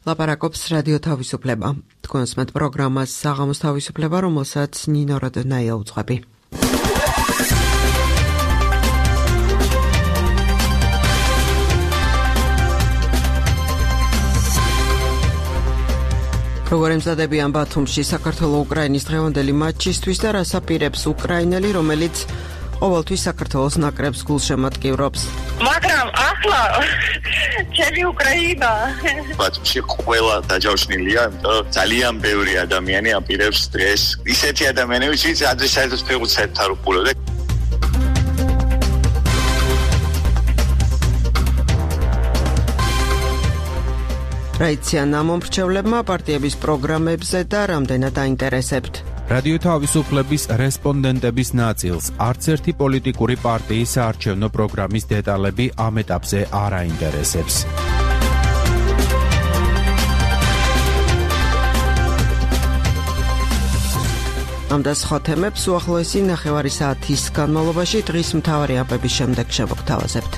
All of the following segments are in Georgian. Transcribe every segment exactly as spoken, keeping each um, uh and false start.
ლაპარაკობს რადიო თავისუფლება. თქვენს მათ პროგრამას საღამოს თავისუფლება, რომელსაც ნინო როდნაია უძღვები. როგორ ემზადებიან ბათუმში საქართველო-უკრაინის დღევანდელი მატჩისთვის და რას აპირებს უკრაინელი, რომელიც ყოველთვის საქართველოს ნაკრებს გულშემატკივრობს. მაგრამ ახლა ჩემი უკრაინა ბათუმში ყველა დაჯავშნილია, იმიტომ ძალიან ბევრი ადამიანი აპირებს დღეს. ისეთი ადამიანები, ვინც ადრესატებს ფეხბურთს არ უყურებდა. რა იციან ამ მომრჩევლებმა პარტიების პროგრამებზე და რამდენად აინტერესებთ. რადიო თავისუფლების რესპონდენტების ნაწილს არც ერთი პოლიტიკური პარტიის საარჩევნო პროგრამის დეტალები ამ ეტაპზე არ აინტერესებს. ამ და სხვა თემებს უახლოესი ნახევარი საათის განმავლობაში დღის მთავარი აპების შემდეგ შევგვთავაზებთ.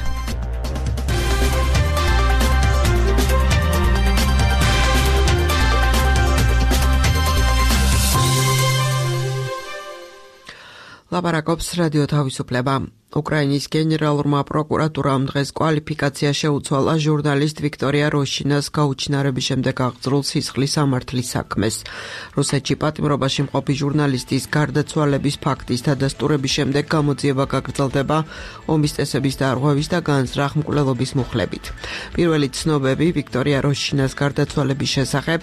ლაპარაკობს რადიო თავისუფლება. უკრაინის გენერალურმა პროკურატურამ დღეს კვალიფიკაცია შეუცვალა ჟურნალისტ ვიქტორია როშინას გაუჩინარების შემდეგ აღძრულ სისხლის სამართლის საქმეს. რუსეთში პატიმრობაში მყოფი ჟურნალისტის გარდაცვალების ფაქტის დადასტურების შემდეგ გამოძიება გაგრძელდება ომის წესების დარღვევის და განზრახ მკვლელობის მუხლებით. პირველი ცნობები ვიქტორია როშინას გარდაცვალების შესახებ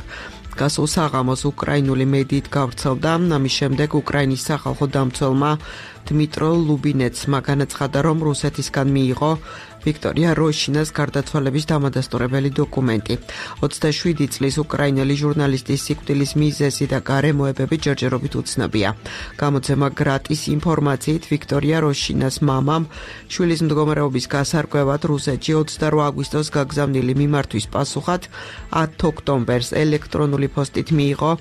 გასულ საღამოს უკრაინული მედიით გავრცელდა. ამის შემდეგ უკრაინის სახალხო დამცველმა დმიტრო ლუბინეცმა განაცხადა, რომ რუსეთისგან მიიღო ვიქტორია როშინას გარდაცვალების დამადასტურებელი დოკუმენტი. ოცდაშვიდი წლის უკრაინელი ჟურნალისტის სიკვდილის მიზეზი და გარემოებები ჯერჯერობით უცნობია. გამოცემა გრატის ინფორმაციით ვიქტორია როშინას მამამ შვილის მდგომარეობის გასარკვევად რუსეთში ოცდაოთხ აგვისტოს გაგზავნილი მიმართვის პასუხად ათი ოქტომბერს ელექტრონული პოსტით მიიღო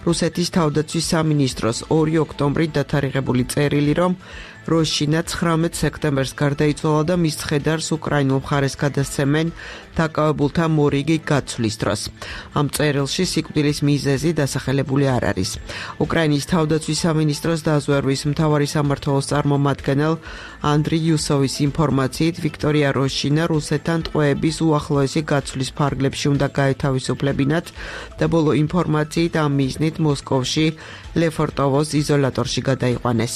რუსეთის თავდაცვის სამინისტროს ორი ოქტომბრით დათარიღებული წერილი, რომ როშინა ცხრამეტ სექტემბერს გარდაიცვალა და მის ცხედარს უკრაინულ მხარეს გადასცემენ დაკავებულთა მორიგი გაცვლის დროს. ამ წერილში სიკვდილის მიზეზი დასახელებული არ არის. უკრაინის თავდაცვის სამინისტროს დაზვერვის მთავარი სამმართველოს წარმომადგენელ ანდრი იუსოვის ინფორმაციით ვიქტორია როშინა რუსეთთან ტყვეების უახლოესი გაცვლის ფარგლებში უნდა გაეთავისუფლებინათ და ბოლო ინფორმაციით ამ მიზნით მოსკოვში ლეფორტოვოს იზოლატორში გადაიყვანეს.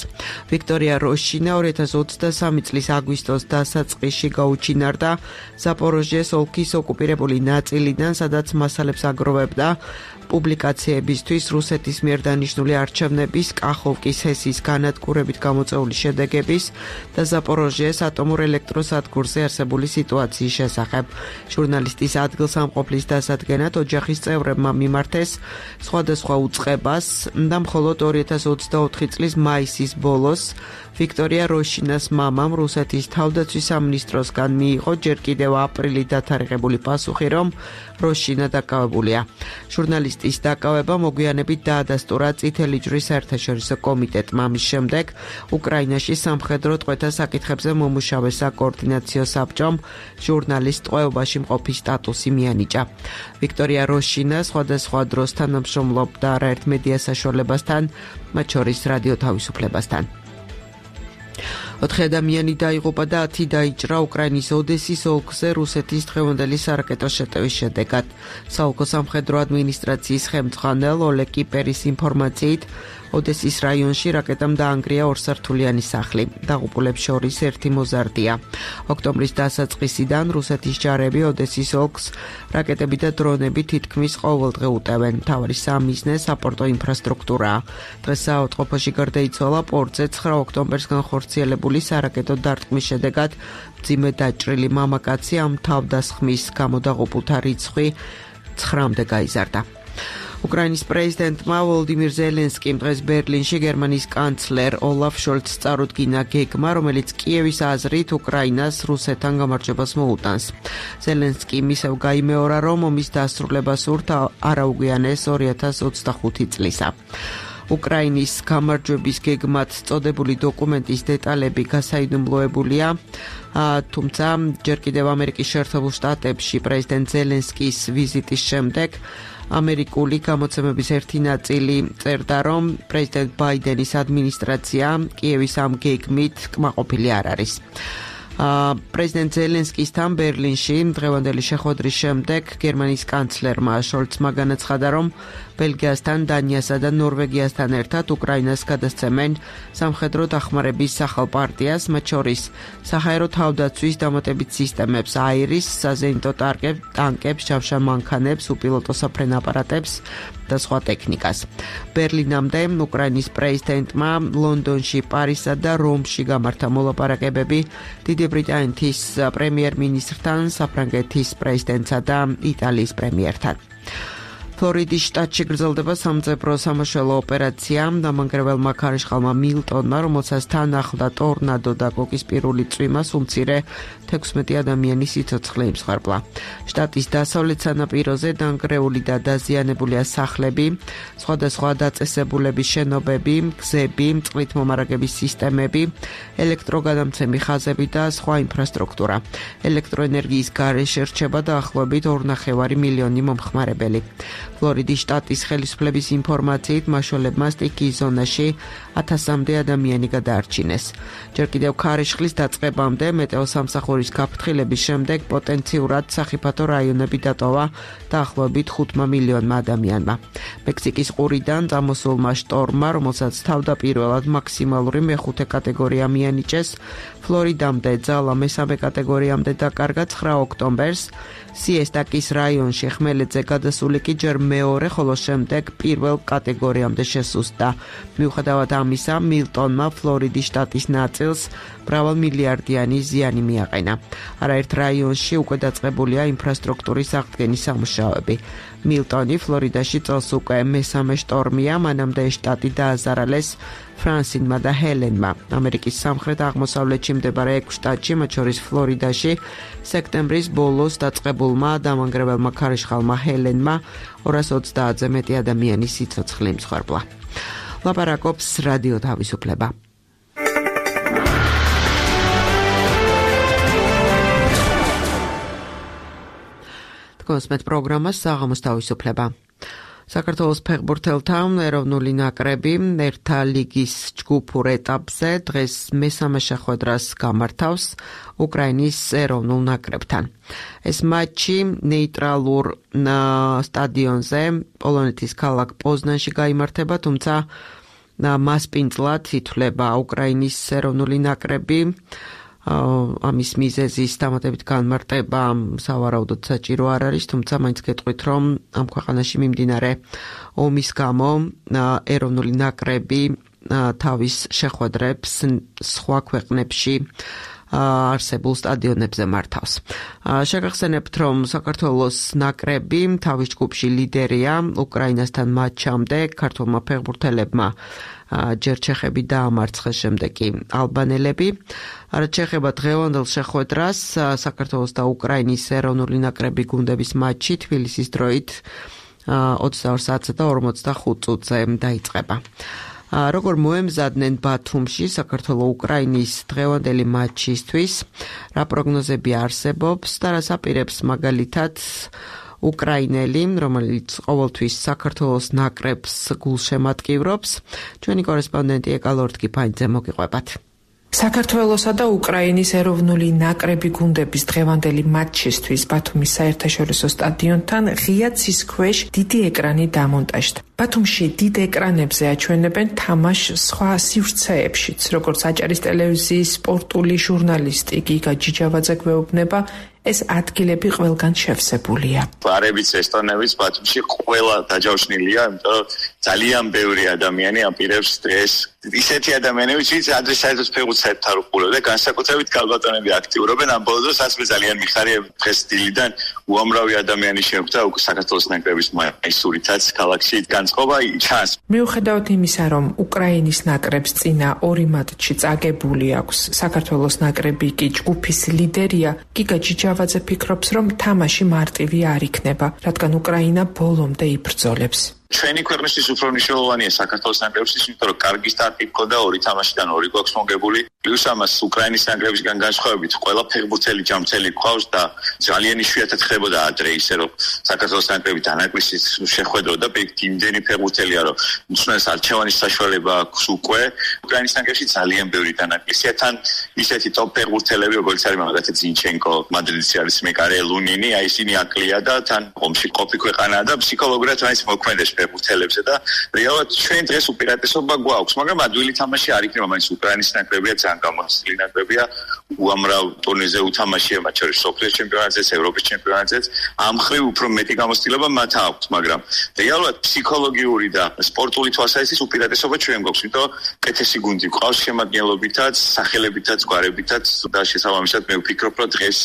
ვიქტორია როშინა ორი ათას ოცდასამი წლის აგვისტოს დასაწყისში გაუჩინარდა ზაპოროჟიეს ოლქის ოკუპირებული ნაწილიდან, სადაც მასალებს აგროვებდა პუბლიკაციებისთვის რუსეთის მიერ დანიშნული არჩევნების, კახოვკის ჰესის განადგურებით გამოწვეული შედეგების და ზაპოროჟიეს ატომურ ელექტროსადგურზე არსებული სიტუაციის შესახებ. ჟურნალისტის ადგილსამყოფლის დასადგენად ოჯახის წევრებმა მიმართეს სხვადასხვა უწყებას და მხოლოდ ორი ათას ოცდაოთხი წლის მაისის ბოლოს ვიქტორია როშინას მამამ რუსეთის თავდაცვის სამინისტროსგან მიიღო ჯერ კიდევ აპრილით დათარიღებული პასუხი, რომ როშინა დაკავებულია. ჟურნალისტის დაკავება მოგვიანებით დაადასტურა წითელი ჯვრის საერთაშორისო კომიტეტმა. ამის შემდეგ უკრაინაში სამხედრო ტყვეთა საკითხებზე მომუშავე საკოორდინაციო საბჭომ ჟურნალისტ ტყვეობაში მყოფის სტატუსი მიანიჭა. ვიქტორია როშინა სხვადასხვა დროს თანამშრომლობდა არაერთ მედია საშუალებასთან, მათ შორის რადიო თავისუფლებასთან. ოთხი ადამიანი დაიღუპა და ათი დაიჭრა უკრაინის ოდესის ოლქზე რუსეთის დღევანდელი სარაკეტო შეტევის შედეგად. საოლქო სამხედრო ადმინისტრაციის ხელმძღვანელ ოლეგ კიპერის ინფორმაციით ოდესის რაიონში რაკეტამ დაანგრია ორსართულიანი სახლი. დაღუპულებს შორის ერთი მოზარდია. ოქტომბრის დასაწყისიდან რუსეთის ჯარები ოდესის ოლქს რაკეტები და დრონები თითქმის ყოველდღე უტევენ. მთავარი სამიზნე საპორტო ინფრასტრუქტურაა. დღეს საავადმყოფოში გარდაიცვალა პორტზე ცხრა ოქტომბერს განხორციელებული სარაკეტო დარტყმის შედეგად მძიმე დაჭრილი მამაკაცი, ამ თავდასხმის გამო დაღუპულთა რიცხვი ცხრამდე გაიზარდა. უკრაინის პრეზიდენტმა ვოლოდიმირ ზელენსკიმ დღეს ბერლინში გერმანიის კანცლერ ოლაფ შოლცს წარუდგინა გეგმა, რომელიც კიევის აზრით უკრაინას რუსეთთან გამარჯვებას მოუტანს. ზელენსკიმ ისევ გაიმეორა, რომ ომის დასრულებას სურთ არაუგვიანეს ორი ათას ოცდახუთი წლისა. უკრაინის გამარჯვების გეგმად წოდებული დოკუმენტის დეტალები გასაიდუმლოებულია, თუმცა ჯერ კიდევ ამერიკის შეერთებულ შტატებში პრეზიდენტ ზელენსკის ვიზიტის შემდეგ ამერიკული გამოცემების ერთი ნაწილი წერდა, რომ პრეზიდენტ ბაიდენის ადმინისტრაცია კიევის ამ გეგმით კმაყოფილი არ არის. პრეზიდენტ ზელენსკისთან ბერლინში დღევანდელი შეხვედრის შემდეგ გერმანიის კანცლერმა შოლცმა განაცხადა, რომ ბელგიასთან, დანიასა და ნორვეგიასთან ერთად უკრაინას გადასცემენ სამხედრო დახმარების ახალ პარტიას, მათ შორის საჰაერო თავდაცვის დამატებით სისტემებს, აირის, საზეიმტო ტანკებს, ჯავშან მანქანებს, უპილოტო საფრენ აპარატებს და სხვა ტექნიკას. ბერლინამდე უკრაინის პრეზიდენტმა ლონდონში, პარიზსა და რომში გამართა მოლაპარაკებები დიდი ბრიტანეთის პრემიერ-მინისტრთან, საფრანგეთის პრეზიდენტსა და იტალიის პრემიერთან. ფლორიდის შტატში გრძელდება სამძებრო სამაშველო ოპერაცია დამანგრეველმა ქარიშხალმა მილტონმა, რომელსაც თან ახლდა ტორნადო და კოკისპირული წვიმა, უმცირე თექვსმეტი ადამიანი სიცოცხლე იმსხვერპლა. შტატის დასავლეთ სანაპიროზე დანგრეული და დაზიანებულია სახლები, სხვადასხვა დაწესებულების შენობები, გზები, წყლით მომარაგების სისტემები, ელექტროგადამცემი ხაზები და სხვა ინფრასტრუქტურა. ელექტროენერგიის გარეშე რჩება დაახლოებით ორ ნახევარი მილიონი მომხმარებელი. ფლორიდის შტატის ხელისუფლების ინფორმაციით მაშველებმა სტიქიის ზონაში ათასამდე ადამიანი გადაარჩინეს. ჯერ კიდევ ქარიშხლის დაწყებამდე მეტეოსამსახურის გაფრთხილების შემდეგ პოტენციურად სახიფათო რაიონები დატოვა დაახლოებით ხუთმა მილიონმა ადამიანმა. მექსიკის ყურიდან წამოსულმა შტორმმა, რომელსაც თავდაპირველად მაქსიმალური მეხუთე კატეგორია მიანიჭეს, ფლორიდამდე ძალა მესამე კატეგორიამდე დაკარგა ცხრა ოქტომბერს. სიესტაკის რაიონში ხმელეთზე გადასული კი ჯერ მეორე, ხოლო შემდეგ პირველ კატეგორიამდე შესუსტდა. მიუხედავად ამისა, მილტონმა ფლორიდის შტატის ნაწილს მრავალმილიარდიანი ზიანი მიაყენა. არაერთ რაიონში უკვე დაწყებულია ინფრასტრუქტურის აღდგენის სამუშაოები. მილტონი ფლორიდაში წელს უკვე მესამე შტორმია, მანამდე შტატი დააზარალეს ფრანსინმა და ჰელენმა. ამერიკის სამხრეთ-აღმოსავლეთში მდებარე ექვს შტატში, მათ შორის ფლორიდაში, სექტემბრის ბოლოს დაწყებულმა დამანგრეველმა ქარიშხალმა ჰელენმა ორას ოცდაათზე მეტი ადამიანი სიცოცხლე იმსხვერპლა. ლაპარაკობს რადიო თავისუფლება. კონსმეთ პროგრამას საღამოს თავისუფლება. საქართველოს ფეხბურთელთა ეროვნული ნაკრები ერთა ლიგის ჯგუფურ ეტაპზე დღეს მესამე შეხვედრას გამართავს უკრაინის ეროვნულ ნაკრებთან. ეს მატჩი ნეიტრალურ სტადიონზე პოლონეთის ქალაქ პოზნანში გაიმართება, თუმცა მასპინძლად ითვლება უკრაინის ეროვნული ნაკრები. ამის მიზეზის დამატებით განმარტება სავარაუდოდ საჭირო არ არის, თუმცა მაინც გეტყვით, რომ ამ ქვეყანაში მიმდინარე ომის გამო ეროვნული ნაკრები თავის შეხვედრებს სხვა ქვეყნებში არსებულ სტადიონებზე მართავს. შეგახსენებთ, რომ საქართველოს ნაკრები თავის ჯგუფში ლიდერია უკრაინასთან მატჩამდე ქართველმა ფეხბურთელებმა ჯერ ჩეხები დაამარცხეს, შემდეგ კი ალბანელები. რაც შეეხება დღევანდელ შეხვედრას, საქართველოს და უკრაინის ეროვნული ნაკრები გუნდების მატჩი თბილისის დროით ოცდაორ საათსა და ორმოცდახუთ წუთზე დაიწყება. როგორ მოემზადნენ ბათუმში საქართველო-უკრაინის დღევანდელი მატჩისთვის, რა პროგნოზები არსებობს და რას აპირებს მაგალითად უკრაინელი, რომელიც ყოველთვის საქართველოს ნაკრებს გულშემატკივრობს. ჩვენი კორესპონდენტი ეკალორთგი ფაინძე მოგიყვებათ. საქართველოსა და უკრაინის ეროვნული ნაკრები გუნდების დღევანდელი მატჩისთვის ბათუმის საერთაშორისო სტადიონთან ღია ცის ქვეშ დიდი ეკრანი დამონტაჟდა. ბათუმში დიდ ეკრანებზე აჩვენებენ თამაშს სხვა სივრცეებშიც, როგორც აჭარის ტელევიზიის სპორტული ჟურნალისტი გიგა ჯიჯავაძე გვეუბნება, ეს ადგილები ყველგან შევსებულია. არებიც ესტონებიც ბათუმში ყველა დაჯავშნილია, იმიტომ რომ ძალიან ბევრი ადამიანი აპირებს დღეს ისეთი ადამიანები, ვინც ადრესაერტოს ფეხბურთს არ უყურებდა, განსაკუთრებით ქალბატონები აქტიურობენ ამ ბოლო დროს, ასე ძალიან მიხარია დღეს დილიდან უამრავი ადამიანი შეხვდა უკვე საქართველოს ნაკრების მაისურითაც ქალაქში განწყობა ჩანს. მიუხედავად იმისა, რომ უკრაინის ნაკრებს წინა ორი მატჩი წაგებული აქვს, საქართველოს ნაკრები კი ჯგუფის ლიდერია, გიგა ჯიჯავაძე ფიქრობს, რომ თამაში მარტივი არ იქნება, რადგან უკრაინა ბოლომდე იბრძოლებს. ჩვენი ქვეყნისთვის უფრო მნიშვნელოვანია საქართველოს ნაკრებისთვის, იმიტომ რომ კარგი სტარტი ჰქონდა ორი თამაშიდან ორი გვაქვს მოგებული. პლუს ამას უკრაინის ნაკრებისგან განსხვავებით, ყველა ფეხბურთელი ჯამრთელი გვყავს და ძალიან იშვიათად ხდებოდა ადრე ისე რომ საქართველოს ნაკრები დანაკლისის შეხვედროდა იმდენი ფეხბურთელია რომ უცნაეს არჩევანის საშუალება აქვს უკვე. უკრაინის ნაკრებში ძალიან ბევრი დანაკლისია, თან ისეთი ტოპ ფეხბურთელები როგორც არის მაგალითად ზინჩენკო, მადრიდში არის მეკარე ლუნინი, აი ისინი აკლია და თან ომში ყოფი ქვეყანაა და ფსიქოლოგიურად მაინც მოქმედებს ფეხბურთელებზე და რეალურად ჩვენ დღეს უპირატესობა გვაქვს, მაგრამ ადვილი თამაში არ იქნება, მაინც უკრაინის ნაკრებია ძალიან გამოსილი ნაკრებია, უამრავ ტურნირზე უთამაშია, მათ შორის სოფლიოს ჩემპიონატზეც, ევროპის ჩემპიონატზეც, ამ მხრივ უფრო მეტი გამოცდილება მათ აქვს, მაგრამ რეალურად ფსიქოლოგიური და სპორტული თვალსაზრისით უპირატესობა ჩვენ გვაქვს, იმიტომ კეთესი გუნდი გვყავს შემადგენლობითაც, სახელებითაც, გვარებითაც და შესაბამისად მე ვფიქრობ, რომ დღეს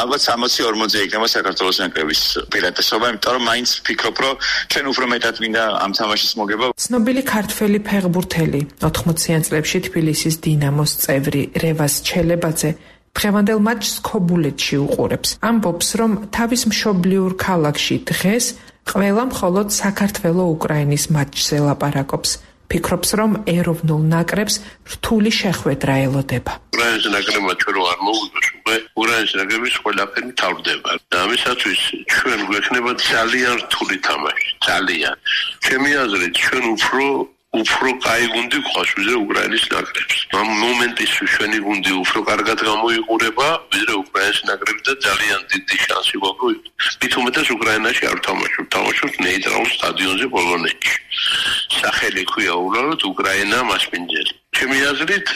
ალბათ სამოცი ორმოცი იქნება საქართველოს ნაკრების უპირატესობა, იმიტომ რომ მაინც ვფიქრობ, რომ ჩვენ უფრო მეტად მინდა ამ თამაშის მოგება. ცნობილი ქართველი ფეხბურთელი ოთხმოციან წლებში თბილისის დინამოს წევრი რევაზ ჩელებაძე დღევანდელ მატჩს ქობულეთში უყურებს. ამბობს, რომ თავის მშობლიურ ქალაქში დღეს ყველა მხოლოდ საქართველო-უკრაინის მატჩზე ლაპარაკობს. ფიქრობს, რომ ეროვნულ ნაკრებს რთული შეხვედრა ელოდება. უკრაინის ნაკრებმა ჩვენ რო არ მოვიგოს, უკვე უკრაინის ნაკრების ყველაფერი თავდება. და ამისათვის ჩვენ გვექნება ძალიან რთული თამაში, ძალიან. ჩემი აზრით, ჩვენ უფრო უფრო კაი გუნდი გვყავს ვიდრე უკრაინის ნაკრებს. ამ მომენტისთვის ჩვენი გუნდი უფრო კარგად გამოიყურება ვიდრე უკრაინის ნაკრები და ძალიან დიდი შანსი გვაქვს. მით უმეტეს უკრაინაში არ ვთამაშობ, ვთამაშობ ნეიტრალურ სტადიონზე პოლონეთში. სახელი ქვია უბრალოდ უკრაინა მასპინძელი. ჩემი აზრით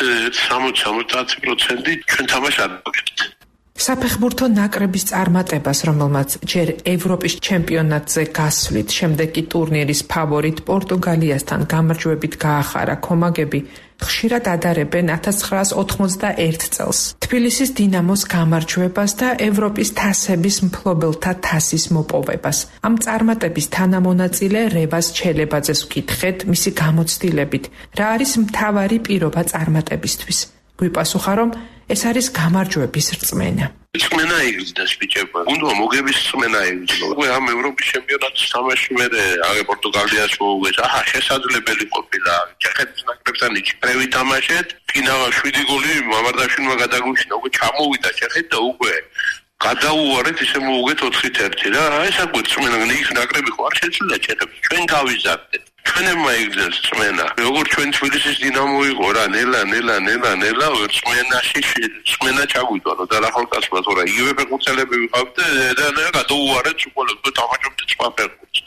სამოცი სამოცდაათი პროცენტი ჩვენ თამაშს არ ვაკეთებთ. საფეხბურთო ნაკრების წარმატებას, რომელმაც ჯერ ევროპის ჩემპიონატზე გასვლით, შემდეგ კი ტურნირის ფავორიტ პორტუგალიასთან გამარჯვებით გაახარა კომაგები, ხშირად ადარებენ ათას ცხრაას ოთხმოცდაერთ წელს. თბილისის დინამოს გამარჯვებას და ევროპის თასების მფლობელთა თასის მოპოვებას. ამ წარმატების თანამონაწილე რევაზ ჩელებაძეს ვკითხეთ მისი გამოცდილებით, რა არის მთავარი პირობა წარმატებისთვის. გვიპასუხა, რომ ეს არის გამარჯვების რწმენა. რწმენა იგრძნოს ბიჭებო. უნდა მოგების რწმენა იგრძნოს. უკვე ამ ევროპის ჩემპიონატის თამაში მე აგე პორტუგალიას მოუგეს. აჰა, შესაძლებელი ყოფილა. ჩეხეთის ნაკრებთან იჭრევი თამაშეთ. ფინალა შვიდი გოლი მამარდაშვილმა გადაგვიშინა. უკვე ჩამოვიდა ჩეხეთი და უკვე გადაუვარეთ ისე მოუგეთ ოთხით ერთი რა. აი ეს აკვეთ რწმენა ის ნაკრები ხო არ შეცვლა ჩეხებს. ჩვენ გავიზარდეთ. ჩვენებმა იგრძნოს რწმენა. როგორც ჩვენ თბილისის დინამო იყო რა, ნელა, ნელა, ნელა, ნელა, რწმენაში რწმენა ჩაგვიდვანო და ახალგაზრდა თორე იგივე ფეხბურთელები ვიყავთ და და გადაუვარეთ უყოლოდ თამაშობთ სხვა ფეხბურთს.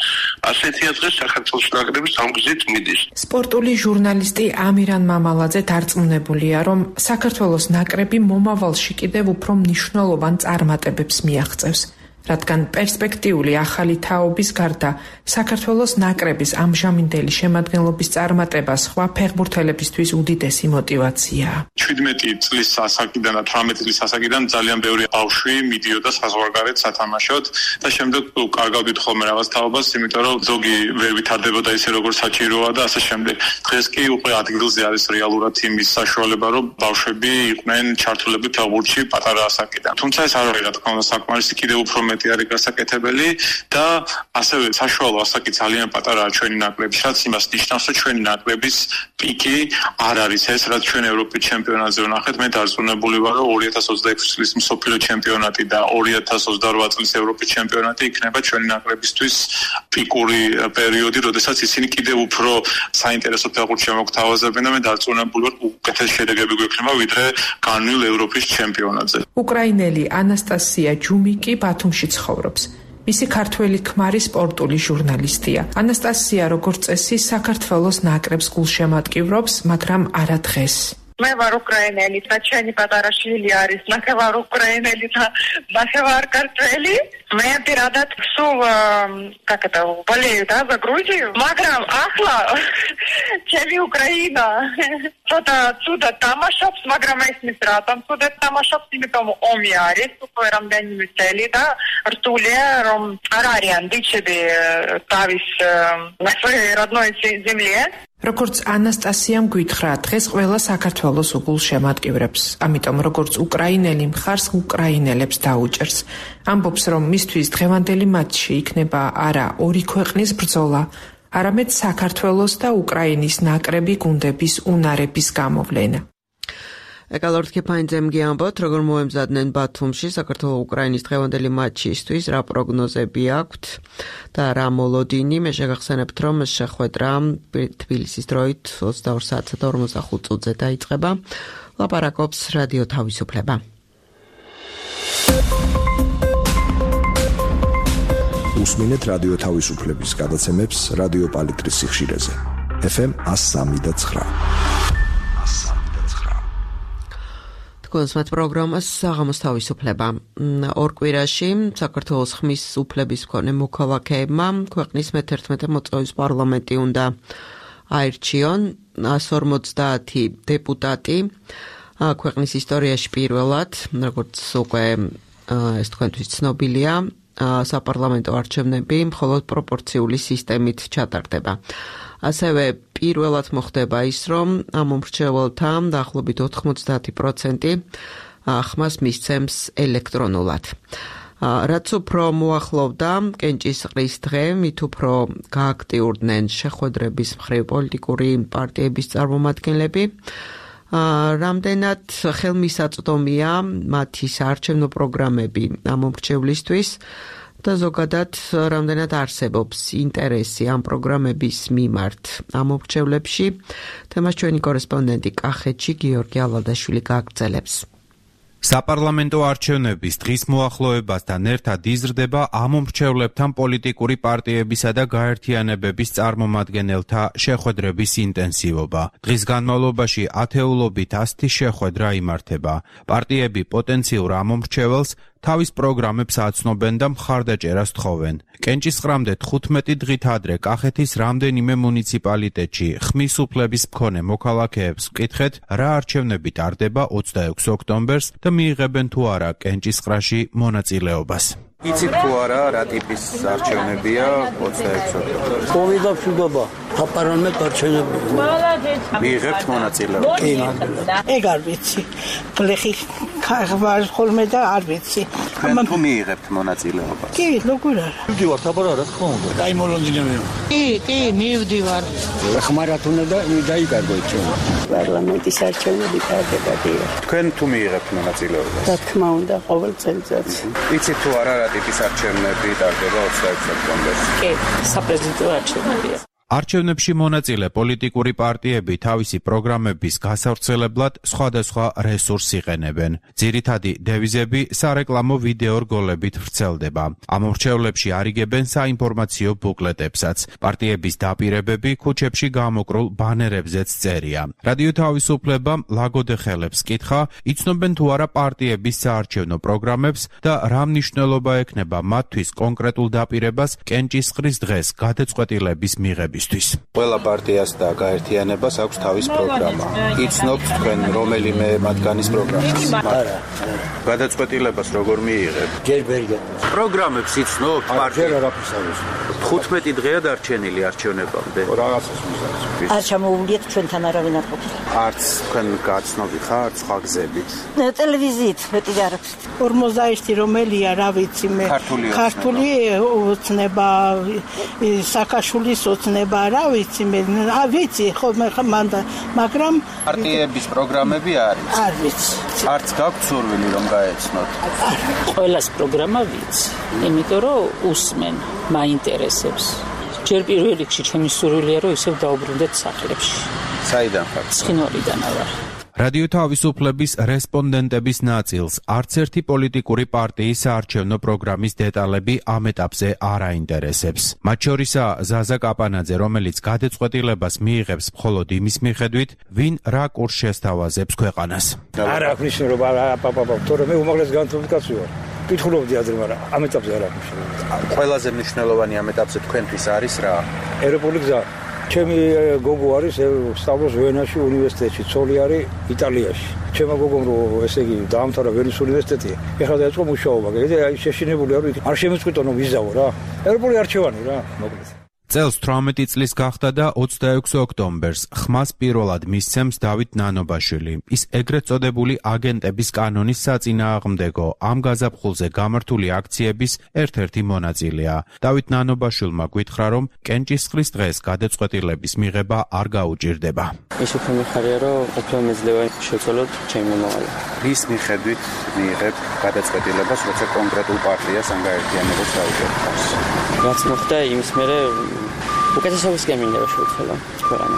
ასეთია დღეს საქართველოს ნაკრების ამ გზით მიდის. სპორტული ჟურნალისტი ამირან მამალაძე დარწმუნებულია, რომ საქართველოს ნაკრები მომავალში კიდევ უფრო მნიშვნელოვან წარმატებებს მიაღწევს. რადგან პერსპექტიული ახალი თაობის გარდა საქართველოს ნაკრების ამჟამინდელი შემადგენლობის წარმატება სხვა ფეხბურთელებისთვის უდიდესი მოტივაციაა. შვიდმეტი წლის ასაკიდან და თვრამეტი წლის ასაკიდან ძალიან ბევრი ბავშვი მიდიოდა საზღვარგარეთ სათამაშოდ და შემდეგ კარგავდით ხოლმე რაღაც თაობას, იმიტომ რომ ზოგი ვერ ვითარდებოდა ისე როგორც საჭიროა და ასე შემდეგ. დღეს კი უკვე ადგილზე არის რეალურად იმის საშუალება, რომ ბავშვები იყვნენ ჩართულები ფეხბურთში პატარა ასაკიდან. თუმცა ეს არ არის რა თქმა უნდა საკმარისი, კიდევ უფრო მეტი არის გასაკეთებელი და ასევე საშუალო ასაკი ძალიან პატარაა ჩვენი ნაკრების, რაც იმას ნიშნავს, რომ ჩვენი ნაკრების პიკი არ არის ეს, რაც ჩვენ ევროპის ჩემპიონატზე ვნახეთ. მე დარწმუნებული ვარ, რომ ორი ათას ოცდაექვსი წლის მსოფლიო ჩემპიონატი და ორი ათას ოცდარვა წლის ევროპის ჩემპიონატი იქნება ჩვენი ნაკრებისთვის პიკური პერიოდი, როდესაც ისინი კიდევ უფრო საინტერესო ფეხბურთს შემოგთავაზებენ და მე დარწმუნებული ვარ, უკეთეს შედეგები გვექნება ვიდრე განვლილ ევროპის ჩემპიონატზე. უკრაინელი ანასტასია ჯუმიკი ბათუმში ცხოვრობს. მისი ქართველი ქმარი სპორტული ჟურნალისტია. ანასტასია, როგორც წესი, საქართველოს ნაკრებს გულშემატკივრობს, მაგრამ არა დღეს. მე ვარ უკრაინელი და ჩემი პატარა შვილი არის ნახევარ უკრაინელი და ნახევარ ქართველი. მე პირადად სულ как это болею да за Грузию, მაგრამ ახლა ჩემი უკრაინა ცოტა ცუდა თამაშობს, მაგრამ ისმის რა там ცუდა თამაშობს, იმიტომ ომი არის უკვე რამდენიმე წელი და რთულია რომ არ არიან ბიჭები თავის на своей родной земле. როგორც ანასტასიამ გითხრა, დღეს ყველა საქართველოს უგულშემატკივრებს. ამიტომ როგორც უკრაინელი მხარს უკრაინელებს დაუჭერს. ამბობს, რომ მისთვის დღევანდელი მატჩი იქნება არა ორი ქვეყნის ბრძოლა, არამედ საქართველოს და უკრაინის ნაკრები გუნდების უნარების გამოვლენა. ეკალორთ ქეფაინძემ გიამბოთ, როგორ მოემზადნენ ბათუმში საქართველოს-უკრაინის დღევანდელი მატჩისთვის, რა პროგნოზები აქვთ და რა მოლოდინი. მე შეგახსენებთ, რომ შეხვედრა თბილისის დროით ოცდაორ საათსა და ორმოცდახუთ წუთზე დაიწყება. ლაპარაკობს რადიო თავისუფლება. უსმინეთ რადიო თავისუფლების გადაცემებს რადიო პალიტრის სიხშირეზე. ეფ ემ one oh three point nine. კონსმათ პროგრამას საღამოს თავისუფლება. ორ კვირაში საქართველოს ხმის უფლების მქონე მოქალაქეებმა ქვეყნის მეთერთმეტე მოწვევის პარლამენტი უნდა აირჩიონ one forty დეპუტატი ქვეყნის ისტორიაში პირველად, როგორც უკვე ეს თქვენთვის ცნობილია, საპარლამენტო არჩევნები მხოლოდ პროპორციული სისტემით ჩატარდება. ასევე პირველად მოხდება ის, რომ ამ მომრჩეველთა დაახლოებით ოთხმოცდაათი პროცენტი ხმას მისცემს ელექტრონულად. რაც უფრო მოახლოვდა კენჭისყრის დღე, მით უფრო გააქტიურდნენ შეხვედრების მხრივ პოლიტიკური პარტიების წარმომადგენლები. რამდენად ხელმისაწვდომია მათი საარჩევნო პროგრამები ამ მომრჩევლისთვის და ზოგადად რამდენად არსებობს ინტერესი ამ პროგრამების მიმართ ამ მომრჩევლებში, თემას ჩვენი კორესპონდენტი კახეთში გიორგი ალადაშვილი გააგრძელებს. საპარლამენტო არჩევნების დღის მოახლოებასთან ერთად იზრდება ამ მომრჩევლებთან პოლიტიკური პარტიებისა და გაერთიანებების წარმომადგენელთა შეხვედრების ინტენსივობა. დღის განმავლობაში ათეულობით ასი შეხვედრა იმართება. პარტიები პოტენციურ ამ მომრჩეველს თავის პროგრამებს აცნობენ და მხარდაჭერას თხოვენ. კენჭისყრამდე თხუთმეტი დღით ადრე კახეთის რამდენიმე მუნიციპალიტეტში ხმის უფლების მქონე მოქალაქეებს ვკითხეთ, რა არჩევნები ტარდება ოცდაექვსი ოქტომბერს და მიიღებენ თუ არა კენჭისყრაში მონაწილეობას. იცით თუ არა რა ტიპის არჩევნებია ოცდაექვსი ოქტომბერს? მოვიდა მშვიდობა, საპარლამენტო არჩევნები. მიიღებთ მონაწილეობას? კი, ეგ არ ვიცი. გლეხი ხარ ხოლმე და არ ვიცი. თუ მიიღებთ მონაწილეობას? კი, როგორ არა. მივდივარ თაბარა რა თქმა უნდა. დაიმოლოდინები. კი, კი, მივდივარ. ხმარათუნა და დაიკარგო ჩვენ. პარლამენტის არჩევნები ტარდება დიახ. თქვენ თუ მიიღებთ მონაწილეობას? რა თქმა უნდა, ყოველ წელიწადს. იცით თუ არა რა ტიპის არჩევნები ტარდება ოცდაექვსი ოქტომბერს? კი, საპრეზიდენტო არჩევნებია. არჩევნებში მონაწილე პოლიტიკური პარტიები თავისი პროგრამების გასავრცელებლად სხვადასხვა რესურსს იყენებენ. ძირითადი დევიზები სარეკლამო ვიდეო რგოლებით ვრცელდება. ამ მრჩევლებში არიგებენ საინფორმაციო ბუკლეტებსაც. პარტიების დაპირებები ქუჩებში გამოკრულ ბანერებზეც წერია. რადიო თავისუფლებამ ლაგოდეხელებს კითხა, იცნობენ თუ არა პარტიების საარჩევნო პროგრამებს და რა მნიშვნელობა ექნება მათთვის კონკრეტულ დაპირებას კენჭისყრის დღეს გადაწყვეტილების მიღების. ყველა პარტიას და გაერთიანებას აქვს თავის პროგრამა. იცნობთ თქვენ რომელიმე მათგანის პროგრამას? არა. გადაწყვეტილებას როგორ მიიღებთ? ჯერ ვერ გეტყვით. პროგრამებს იცნობთ პარტია? ჯერ არაფერს არ ვიცნობ. თხუთმეტი დღეა დარჩენილი არჩევნებამდე. რაღაცას მიზანს. არ ჩამოუვლიეთ ჩვენთან არავინ არ ყოფილა. არც თქვენ გაცნობი ხართ სხვა გზებით? ტელევიზიით მეტი არ აქვს. ორმოცდაერთი რომელია, რა ვიცი მე. ქართული ოცნება, სააკაშვილის ოცნება რა ვიცი მე, ა ვიცი, ხო მე მანდა, მაგრამ პარტიების პროგრამები არის? არ ვიცი. არც გაქვთ სურვილი რომ გაეცნოთ? ყველას პროგრამა ვიცი, იმიტომ რომ უსმენ, მაინტერესებს. ჯერ პირველ რიგში ჩემი სურვილია რომ ისევ დაუბრუნდეთ სახლებში. საიდან ხართ? ცხინვალიდან ვარ. რადიო თავისუფლების რესპონდენტების ნაწილს არც ერთი პოლიტიკური პარტიის საარჩევნო პროგრამის დეტალები ამ ეტაპზე არ აინტერესებს. მათ შორისაა ზაზა კაპანაძე, რომელიც გადაწყვეტილებას მიიღებს მხოლოდ იმის მიხედვით, ვინ რა კურსს შესთავაზებს ქვეყანას. არ აქვს მნიშვნელობა, პაპაპა, თორემ მე უმაღლეს განათლებული კაცი ვარ. კითხულობდი ადრე, მაგრამ ამ ეტაპზე არ აქვს მნიშვნელობა. ყველაზე მნიშვნელოვანი ამ ეტაპზე თქვენთვის არის რა? ევროპული გზა. ჩემი გოგო არის სწავლობს ვენაში უნივერსიტეტში, ცოლი არის იტალიაში. ჩემო გოგომ რომ ესე იგი დაამთავრა ვენის უნივერსიტეტი, ეხლა დაიწყო მუშაობა. კიდე აი შეშინებული არ ვიქ. არ შემეწყვიტო რომ ვიზაო რა. ევროპული არჩევანი რა, მოკლედ. წელს თვრამეტი წლის გახდა და ოცდაექვსი ოქტომბერს ხმას პირველად მისცემს დავით ნანობაშვილი. ის ეგრეთ წოდებული აგენტების კანონის საწინააღმდეგო ამ გაზაფხულზე გამართული აქციების ერთ-ერთი მონაწილეა. დავით ნანობაშვილმა გითხრა, რომ კენჭისყრის დღეს გადაწყვეტილების მიღება არ გაუჭირდება. ის უფრო მიხარია, რომ უფრო მეძლევა შევცვალოთ ჩემი მომავალი. რის მიხედვით მიიღებ გადაწყვეტილებას, როცა კონკრეტულ პარტიას ან გაერთიანებას დაუჭერთ? რაც მოხდა იმის მერე უკეთესობის გემინდა რომ შევცვალო ქვეყანა.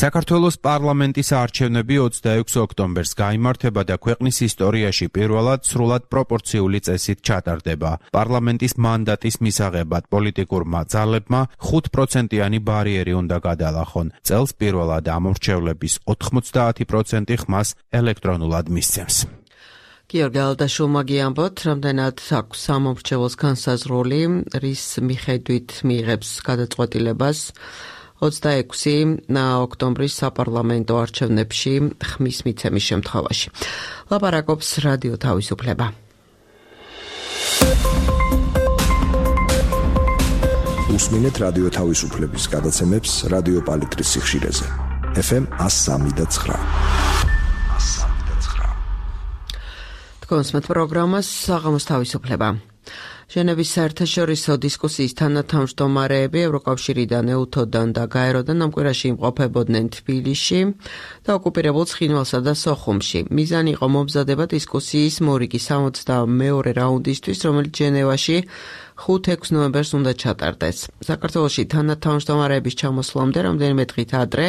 საქართველოს პარლამენტის არჩევნები ოცდაექვსი ოქტომბერს გაიმართება და ქვეყნის ისტორიაში პირველად სრულად პროპორციული წესით ჩატარდება. პარლამენტის მანდატის მისაღებად პოლიტიკურმა ძალებმა ხუთ პროცენტიანი ბარიერი უნდა გადალახონ. წელს პირველად ამორჩევლების ოთხმოცდაათი პროცენტი ხმას ელექტრონულად მისცემს. გიორგი ალდაშვილმა გიამბოთ, რამდენად აქვს სამომრჩეველს განსაზღვრული, რის მიხედვით მიიღებს გადაწყვეტილებას ოცდაექვსი ოქტომბრის საპარლამენტო არჩევნებში ხმის მიცემის შემთხვევაში. ლაპარაკობს რადიო თავისუფლება. უსმინეთ რადიო თავისუფლების გადაცემებს რადიო პალიტრის სიხშირეზე. ეფ ემ one oh three და nine. კონსმეთ პროგრამას საღამოს თავისუფლება. ჟენევის საერთაშორისო დისკუსიის თანათავმჯდომარეები ევროკავშირიდან, ეუთოდან და გაეროდან ამ კვირაში იმყოფებოდნენ თბილისში და ოკუპირებულ ცხინვალსა და სოხუმში. მიზანი იყო მომზადება დისკუსიის მორიგი სამოცდამეორე რაუნდისთვის, რომელიც ჟენევაში ხუთ-ექვსი ნოემბერს უნდა ჩატარდეს. საქართველოში თანათავმჯდომარეების ჩამოსვლამდე რამდენიმე დღით ადრე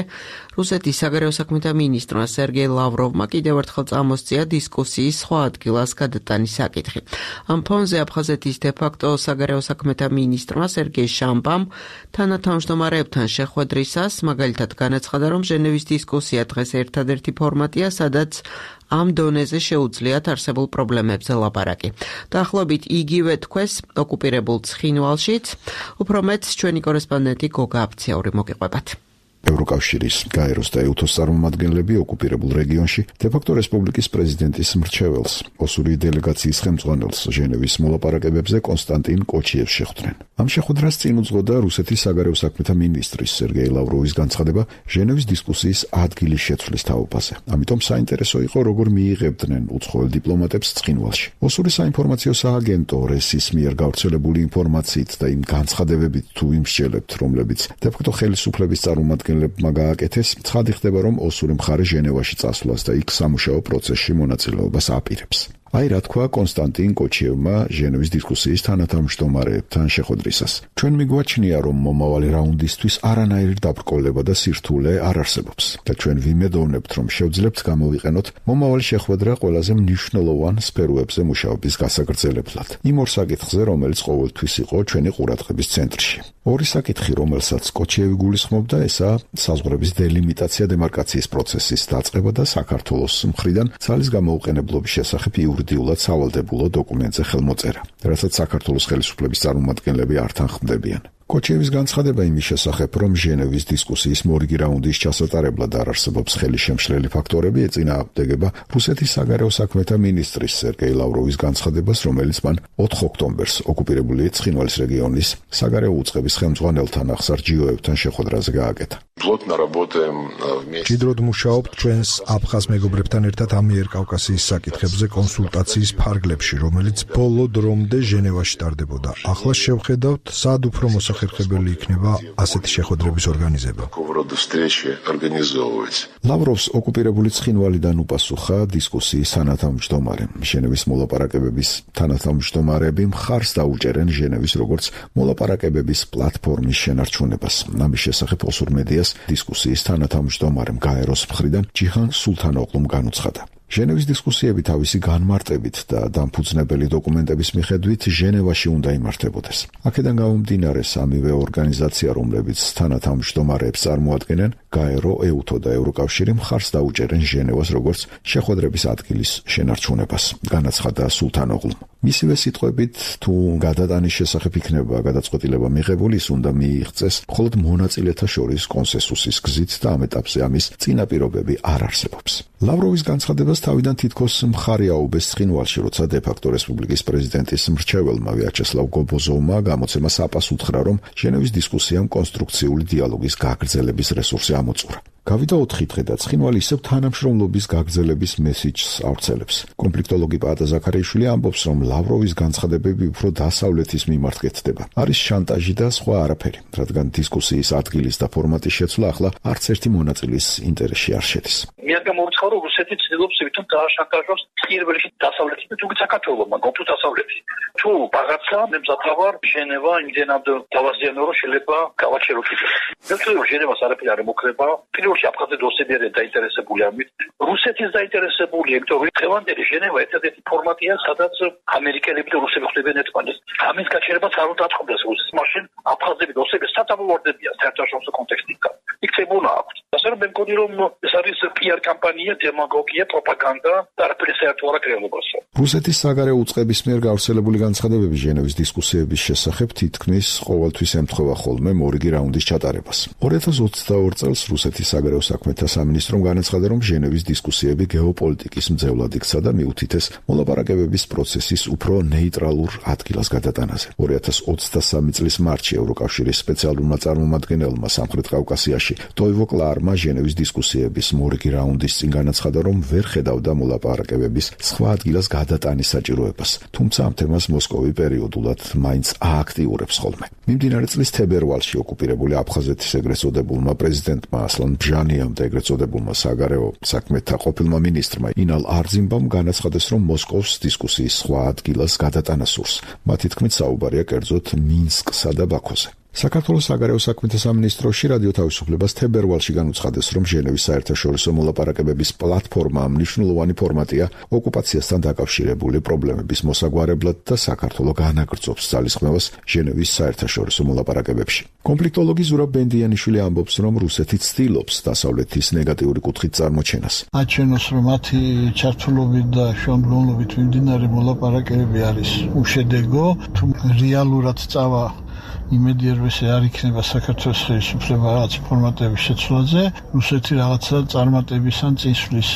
რუსეთის საგარეო საქმეთა მინისტრმა სერგეი ლავროვმა კიდევ ერთხელ წამოსწია დისკუსიის სხვა ადგილას გადატანის საკითხი. ამ ფონზე აფხაზეთის დე-ფაქტო საგარეო საქმეთა მინისტრმა სერგეი შამბამ თანათავმჯდომარეებთან შეხვედრისას მაგალითად განაცხადა, რომ ჟენევის დისკუსია დღეს ერთადერთი ფორმატია, სადაც ამ დონეზე შეუძლიათ არსებულ პრობლემებზე ლაპარაკი. დაახლოებით იგივე თქვეს ოკუპირებულ ცხინვალშიც, უფრო მეტს ჩვენი კორესპონდენტი გოგა აფციური მოგიყვებათ. ევროკავშირის, გაეროს და ეუთოს წარმომადგენლები ოკუპირებულ რეგიონში დე-ფაქტო რესპუბლიკის პრეზიდენტის მრჩეველს, ოსური დელეგაციის ხელმძღვანელს ჟენევის მოლაპარაკებებზე კონსტანტინ კოჩიევს შეხვდნენ. ამ შეხვედრას წინ უძღვოდა რუსეთის საგარეო საქმეთა მინისტრის სერგეი ლავროვის განცხადება ჟენევის დისკუსიის ადგილის შეცვლის თაობაზე. ამიტომ საინტერესო იყო, როგორ მიიღებდნენ უცხოელ დიპლომატებს ცხინვალში. ოსური საინფორმაციო სააგენტო რესის მიერ გავრცელებული ინფორმაციით და იმ განცხადებებით თუ იმსჯელებთ, რომლებიც დე-ფაქტო ხელისუფლების წარმომადგენლები მაგააკეთეს, ცხადი ხდება, რომ ოსური მხარე ჟენევაში წასვლას და იქ სამუშაო პროცესში მონაწილეობას აპირებს. აი რა თქვა კონსტანტინ კოჩიევმა ჟენევის დისკუსიის თანათავმჯდომარეებთან შეხვედრისას. ჩვენ მიგვაჩნია, რომ მომავალი რაუნდისთვის არანაირი დაბრკოლება და სირთულე არ არსებობს და ჩვენ ვიმედოვნებთ, რომ შევძლებთ გამოვიყენოთ მომავალი შეხვედრა ყველაზე მნიშვნელოვან სფეროებზე მუშაობის გასაგრძელებლად. იმ ორ საკითხზე, რომელიც ყოველთვის იყო ჩვენი ყურადღების ცენტრში. ორი საკითხი, რომელსაც კოჩიევი გულისხმობდა, ესაა საზღვრების დელიმიტაცია დემარკაციის პროცესის დაწყება და საქართველოს მხრიდან ძალის გამოუყენებლობის შესახებ იურიდიულად სავალდებულო დოკუმენტზე ხელმოწერა, რასაც საქართველოს ხელისუფლების წარმომადგენლები არ თანხმდებიან. კოჩიევის განცხადება იმის შესახებ, რომ ჟენევის დისკუსიის მორიგი რაუნდის ჩასატარებლად არ არსებობს ხელისშემშლელი ფაქტორები, ეწინააღმდეგება რუსეთის საგარეო საქმეთა მინისტრის სერგეი ლავროვის განცხადებას, რომელიც მან ოთხ ოქტომბერს ოკუპირებული ცხინვალის რეგიონის საგარეო უწყების ხელმძღვანელთან ახსარჯიოებთან შეხვედრაზე გააკეთა. მჭიდროდ მუშაობთ ჩვენს აფხაზ მეგობრებთან ერთად ამიერკავკასიის საკითხებზე კონსულტაციის ფარგლებში, რომელიც ბოლო დრომდე ჟენევაში ტარდებოდა. ახლა შევხედავთ, სად უფრო მოსახერხებელი იქნება ასეთი შეხვედრების ორგანიზება. ლავროვს ოკუპირებული ცხინვალიდან უპასუხა დისკუსიის თანათავმჯდომარე. ჟენევის მოლაპარაკებების თანათავმჯდომარეები მხარს დაუჭერენ ჟენევის როგორც მოლაპარაკებების პლატფორმის შენარჩუნებას. ამის შესახებ ოსურ მედიას დისკუსიის თანათავმჯდომარემ გაეროს მხრიდან ჯიჰან სულთანოღლუმ განუცხადა. ჟენევის დისკუსიები თავისი განმარტებით და დამფუძნებელი დოკუმენტების მიხედვით ჟენევაში უნდა იმართებოდეს. აქედან გამომდინარე, სამივე ორგანიზაცია, რომლებიც თანათავმჯდომარეებს წარმოადგენენ, გაერო, ეუთო და ევროკავშირი მხარს დაუჭერენ ჟენევას როგორც შეხვედრების ადგილის შენარჩუნებას, განაცხადა სულთანოღლუმ. მისივე სიტყვებით, თუ გადატანის შესახებ იქნება გადაწყვეტილება მიღებული, ის უნდა მიიღწეს მხოლოდ მონაწილეთა შორის კონსენსუსის გზით და ამ ეტაპზე ამის წინაპირობები არ არსებობს. ლავროვის განცხადებას თავიდან თითქოს მხარი აუბეს ცხინვალში, როცა დე-ფაქტო რესპუბლიკის პრეზიდენტის მრჩეველმა ვიაჩესლავ გობოზოვმა გამოცემა საპასუხხრა, რომ ჟენევის დისკუსიამ კონსტრუქციული დიალოგის გაგრძელების რესურსი ამოწურა. გავიდა ოთხი დღე და ცხინვალი ისევ თანამშრომლობის გაგრძელების მესიჯს ავრცელებს. კონფლიქტოლოგი პაატა ზაქარიაშვილი ამბობს, რომ ლავროვის განცხადებები უფრო დასავლეთის მიმართ კეთდება. არის შანტაჟი და სხვა არაფერი, რადგან დისკუსიის ადგილის და ფორმატის შეცვლა ახლა არც ერთი მონაწილის ინტერესში არ შედის. მე არ გამოვიწყო, რომ რუსეთი ცდილობს ვითომ დააშანტაჟოს პირველში დასავლეთი და თუმცა საქართველოსმა გონთუ დასავლეთი. თუ ბაღაცა მე მზადავარ ჟენევა იმდენად დავაზიანო, რომ შეიძლება გავაჩერო კიდე. მე ვთქვი, რომ ჟენევას არაფერი არ ემუქრება. პირველში აფხაზი დოსები არიან დაინტერესებული ამით. რუსეთის დაინტერესებულია, იმიტომ რომ დღევანდელი ჟენევა ერთადერთი ფორმატია, სადაც ამერიკელები და რუსები ხვდებიან ერთმანეთს. ამის გაჩერებაც არ უნდა აწყობდეს რუსეთს. მაშინ აფხაზები დოსები სათამოვარდებიან საერთაშორისო კონტექსტიდან. იქცებუნა აქვს. ასე რომ მე მგონი, რომ ეს არის პი არ კამპანია, დემაგოგია, პროპაგანდა და არაფერი საერთო არ აქვს რეალობასთან. რუსეთის საგარეო უწყების მიერ გავრცელებული განცხადებები ჟენევის დისკუსიების შესახებ თითქმის ყოველთვის ემთხვევა ხოლმე მორიგი რაუნდის ჩატარებას. ორი ათას ოცდაორი წელს რუსეთის საგარეო საქმეთა სამინისტრომ განაცხადა, რომ ჟენევის დისკუსიები გეოპოლიტიკის მძევლად იქცა და მიუთითეს მოლაპარაკებების პროცესის უფრო ნეიტრალურ ადგილას გადატანაზე. ორი ათას ოცდასამი წლის მარტში ევროკავშირის სპეციალურმა წარმომადგენელმა სამხრეთ კავკასიაში ტოივო კლარმა ჟენევის დისკუსიების მორიგი რაუნდის წინ განაცხადა, რომ ვერ ხედავდა მოლაპარაკებების სხვა ადგილას გადატანის საჭიროებას, თუმცა ამ თემას მოსკოვი პერიოდულად მაინც ააქტიურებს ხოლმე. მიმდინარე წლის თებერვალში ოკუპირებული აფხაზეთის ეგრეთ წოდებულმა პრეზიდენტმა ასლან ბჟანიამ და ეგრეთ წოდებულმა საგარეო საქმეთა ყოფილმა მინისტრმა ინალ არძიმბამ განაცხადეს, რომ მოსკოვს დისკუსიის სხვა ადგილას გადატანა სურს. მათი თქმით საუბარია კერძოდ მინსკსა და ბაქოზე. საქართველოს საგარეო საქმეთა სამინისტროში რადიო თავისუფლებას თებერვალში განუცხადეს, რომ ჟენევის საერთაშორისო მოლაპარაკებების პლატფორმა მნიშვნელოვანი ფორმატია ოკუპაციასთან დაკავშირებული პრობლემების მოსაგვარებლად და საქართველოს განაგრძობს ძალისხმევას ჟენევის საერთაშორისო მოლაპარაკებებში. კონფლიქტოლოგი ზურაბ ბენდიანიშვილი ამბობს, რომ რუსეთი ცდილობს დასავლეთის ნეგატიური კუთხით წარმოჩენას. აჩვენოს, რომ მათი ჩართულობით და შუამდგომლობით მიმდინარე მოლაპარაკებები არის უშედეგო, თუ რეალურად წავა იმედი რვესე არ იქნება საქართველოს ხელისუფლება რაღაც ფორმატების შეცვლაზე, რუსეთი რაღაცა წარმატების ან წინსვლის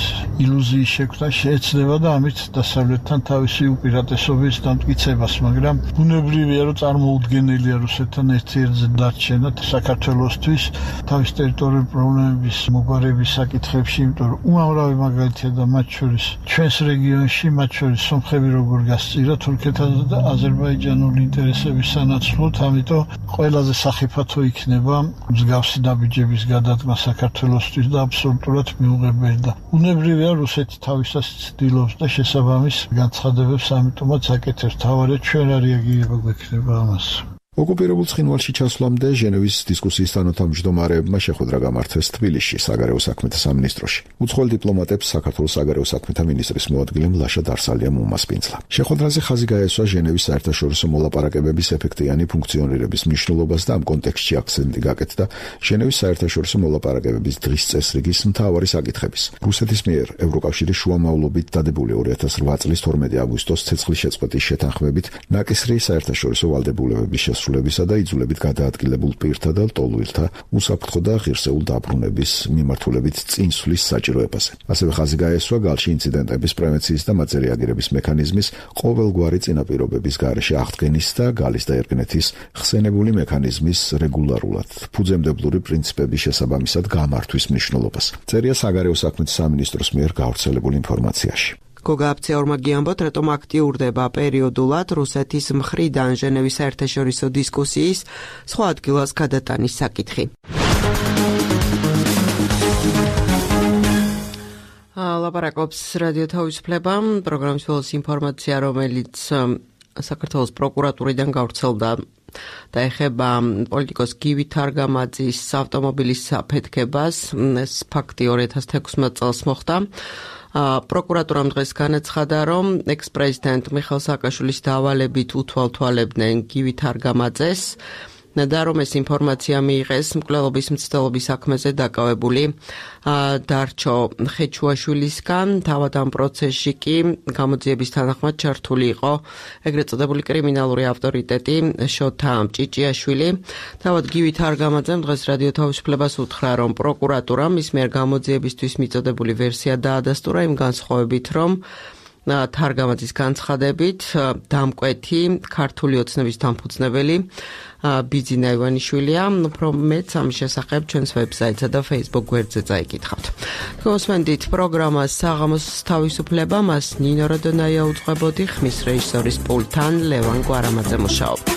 ილუზიის შექმნა შეეცდება და ამით დასავლეთთან თავისი უპირატესობის დამტკიცებას, მაგრამ ბუნებრივია, რომ წარმოუდგენელია რუსეთთან ერთიერთზე დარჩენა საქართველოსთვის თავის ტერიტორიული პრობლემების მოგვარების საკითხებში, იმიტომ რომ უამრავი მაგალითია და მათ შორის ჩვენს რეგიონში, მათ შორის სომხები როგორ გასწირა თურქეთთან და აზერბაიჯანული ინტერესების სანაცვლოდ, ამიტომ ყველაზე სახიფათო იქნება მსგავსი ნაბიჯების გადადგმა საქართველოსთვის და აბსოლუტურად მიუღებელი და უნებრივია რუსეთი თავისას ცდილობს და შესაბამის განცხადებებს ამიტომაც აკეთებს. თავარია ჩვენ რა რეაგირება გვექნება ამას. ოკუპირებულ ცხინვალში ჩასვლამდე ჟენევის დისკუსიის თანათავმჯდომარეებმა შეხვედრა გამართეს თბილისში საგარეო საქმეთა სამინისტროში. უცხოელ დიპლომატებს საქართველოს საგარეო საქმეთა მინისტრის მოადგილე მლაშა დარსალიამ უმასპინძლა. შეხვედრაზე ხაზი გაესვა ჟენევის საერთაშორისო მოლაპარაკებების ეფექტიანი ფუნქციონირების მნიშვნელობას და ამ კონტექსტში აქცენტი გაკეთდა ჟენევის საერთაშორისო მოლაპარაკებების დღის წესრიგის მთავარი საკითხების. რუსეთის მიერ ევროკავშირის შუამავლობით დადებული ორი ათას რვა წლის თორმეტი აგვისტოს ცეცხლის შეწყვეტის შეთანხმებით ნაკისრი საერთაშორისო ვალდებულებების შესრულებისა და იძულებით გადაადგილებულ პირთა და ლტოლვილთა უსაფრთხო და ღირსეულ დაბრუნების მიმართულებით წინსვლის საჭიროებაზე. ასევე ხაზი გაესვა გალში ინციდენტების პრევენციის და მათზე რეაგირების მექანიზმის ყოველგვარი წინაპირობების გარეშე აღდგენის და გალის და ერგნეთის ხსენებული მექანიზმის რეგულარულად ფუძემდებლური პრინციპების შესაბამისად გამართვის მნიშვნელობას. წერია საგარეო საქმეთა სამინისტროს მიერ გავრცელებულ ინფორმაციაში. გოგა აფცეორმა გიამბოთ, რატომ აქტიურდება პერიოდულად რუსეთის მხრიდან ჟენევის საერთაშორისო დისკუსიის სხვა ადგილას გადატანის საკითხი. ლაპარაკობს რადიო თავისუფლება, პროგრამის ბოლოს ინფორმაცია, რომელიც საქართველოს პროკურატურიდან გავრცელდა და ეხება პოლიტიკოს გივი თარგამაძის ავტომობილის საფეთქებას. ეს ფაქტი ორი ათას თექვსმეტ წელს მოხდა. პროკურატურამ დღეს განაცხადა, რომ ექს-პრეზიდენტ მიხეილ სააკაშვილის დავალებით უთვალთვალებდნენ გივი თარგამაძეს და რომ ეს ინფორმაცია მიიღეს მკვლელობის მცდელობის საქმეზე დაკავებული დარჩო ხეჩუაშვილისგან. თავად ამ პროცესში კი გამოძიების თანახმად ჩართული იყო ეგრეთ წოდებული კრიმინალური ავტორიტეტი შოთა ჭიჭიაშვილი. თავად გივი თარგამაძემ დღეს რადიო თავისუფლებას უთხრა, რომ პროკურატურამ მის მიერ გამოძიებისთვის მიწოდებული ვერსია დაადასტურა იმ განსხვავებით, რომ თარგამაძის განცხადებით დამკვეთი ქართული ოცნების დამფუძნებელი ბიძინა ივანიშვილია. უფრო მეც ამის შესახებ ჩვენს ვებსაიტსა და Facebook გვერდზე წაიკითხავთ. გოსმენდით პროგრამას საღამოს თავისუფლება, მას ნინო როდონაია უძღვებოდი, ხმის რეჟისორის პულტთან ლევან კვარამაძე მუშაობდა.